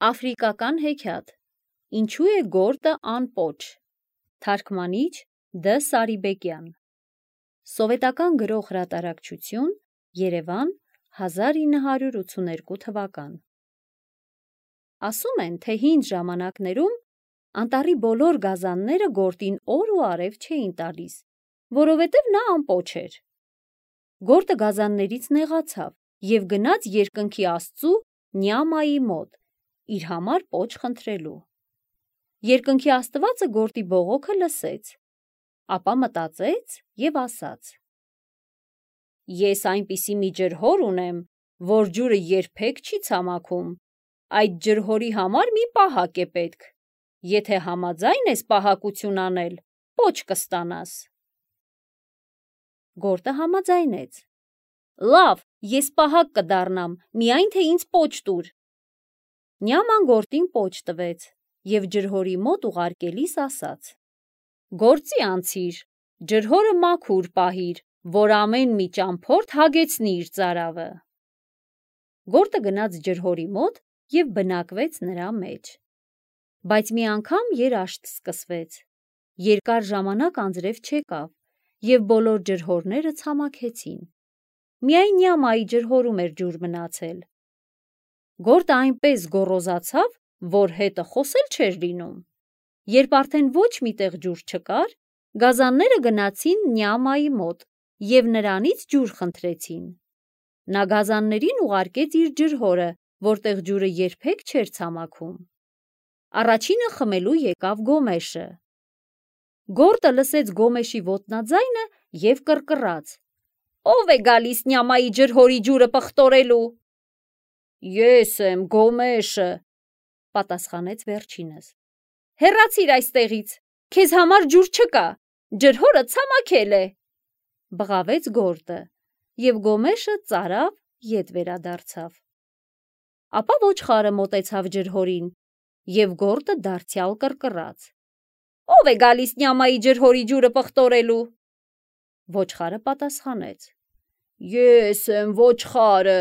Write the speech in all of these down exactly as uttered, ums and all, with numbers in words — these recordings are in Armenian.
Աֆրիկական հեքիաթ։ Ինչու է գորտը անպոչ։ Թարգմանիչ Դ. Սարիբեկյան։ Սովետական գրող հրատարակչություն, Երևան, հազար ինը հարյուր ութսուներկու թվական։ Ասում են, թե հին ժամանակներում անտառի բոլոր գազանները գորտին օր ու արև չէին տալիս, որովհետև նա անպոչ էր։ Գորտը գազաններից նեղացավ և գնաց երկնքի աստծու Նյամայի մոտ, իր համար պոչ խնդրելու։ Երկնքի աստվածը գորտի բողոքը լսեց, ապա մտածեց և ասաց. «Ես այնպիսի մի ջրհոր ունեմ, որ ջուրը երբեք չի ցամաքում, այդ ջրհորի համար մի պահակ է պետք, եթե համաձայն ես պահակություն անել, պոչ կստանաս»։ Գորտը համաձայնեց. «Լավ, ես պահակ կդառնամ, միայն թե ինձ պոչ տուր»։ Նյաման գորտին պոչ տվեց և ջրհորի մոտ ուղարկելիս ասաց. «Գործի անցիր, ջրհորը մաքուր պահիր, որ ամեն մի ճամփորդ հագեցնի իր ծարավը»։ Գորտը գնաց ջրհորի մոտ և բնակվեց նրա մեջ։ Բայց մի անգամ երաշտ սկսվեց, երկար ժամանակ անձրև չեկավ և բոլոր ջրհորները ցամաքեցին։ Միայն Նյամայի ջրհորում էր ջուր մնացել։ Գորտը այնպես գոռոզացավ, որ հետը խոսել չէր լինում։ Երբ արդեն ոչ մի տեղ ջուր չկար, գազանները գնացին Նյամայի մոտ և նրանից ջուր խնդրեցին։ Նա գազաններին ուղարկեց իր ջրհորը, որտեղ ջուրը երբեք չէր ցամաքում։ Առաջինը խմելու եկավ Գոմեշը։ Գորտը լսեց Գոմեշի ոտնաձայնը և կռկռաց. «Ո՞վ է գալիս Նյամայի ջրհորի ջուրը պղտորելու»։ «Ես եմ, Գոմեշը», պատասխանեց վերջինս։ «Հեռացիր այստեղից, քեզ համար ջուր չկա, ջրհորը ցամաքել է», բղավեց գորտը, և Գոմեշը ծարավ ետ վերադարձավ։ Ապա ոչխարը մոտեցավ ջրհորին, և գորտը դարձյալ կռկռաց. «Ո՞վ է գալիս Նյամայի ջրհորի ջուրը պղտորելու»։ Ոչխարը պատասխանեց. «Ես եմ, ոչխարը»։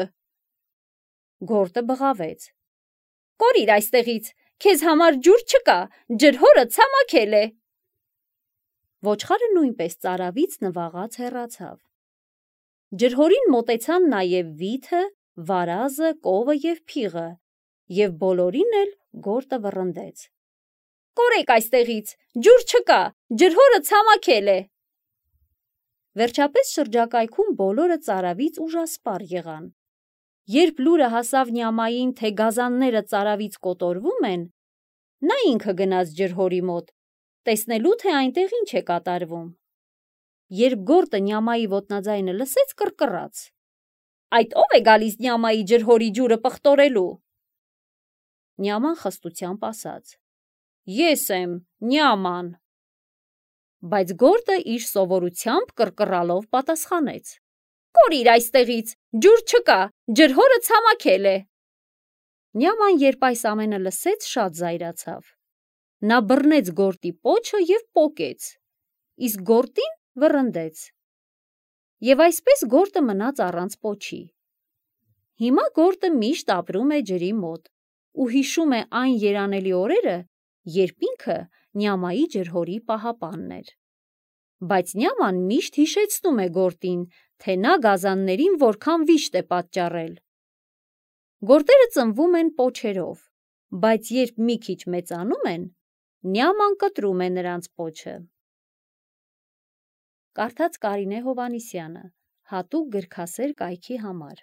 Գորտը բղավեց. «Կորիր այստեղից, քեզ համար ջուր չկա, ջրհորը ցամաքել է»։ Ոչխարը նույնպես ծարավից նվաղած հեռացավ։ Ջրհորին մոտեցան նաև վիթը, վարազը, կովը և փիղը, և բոլորին էլ գորտը վռնդեց. «Կորեք այստեղից, ջուր չկա, ջրհորը ցամաքել է»։ Վերջապես շրջակայքում բոլորը ծարավից ուժասպառ եղան։ Երբ լուրը հասավ Նյամային, թե գազանները ծարավից կոտորվում են, նա ինքը գնաց ջրհորի մոտ, տեսնելու, թե այնտեղ ինչ է կատարվում։ Երբ գորտը Նյամայի ոտնաձայնը լսեց, կռկռաց. «Այդ ո՞վ է գալիս Նյամայի ջրհորի ջուրը պղտորելու»։ Նյաման խստությամբ ասաց. «Ես եմ, Նյաման»։ Բայց գորտը իր սովորությամբ կռկռալով պատասխանեց. «Կորիր այստեղից, ջուր չկա, ջրհորը ցամաքել է»։ Նյաման, երբ այս ամենը լսեց, շատ զայրացավ։ Նա բռնեց գորտի պոչը և պոկեց, իսկ գորտին վռնդեց։ Եվ այսպես գորտը մնաց առանց պոչի։ Հիմա գորտը միշտ ապրում է ջրի մոտ ու հիշում է այն երանելի օրերը, երբ ինքը Նյամայի ջրհորի պահապանն էր։ Բայց Նյաման միշտ հիշեցնում է գորտին, թե նա գազաններին որքան վիշտ է պատճառել։ Գորտերը ծնվում են պոչերով, բայց երբ մի քիչ մեծանում են, Նյաման կտրում է նրանց պոչը։ Կարդաց Կարինե Հովհաննիսյանը, հատուկ գրքասեր կայքի համար։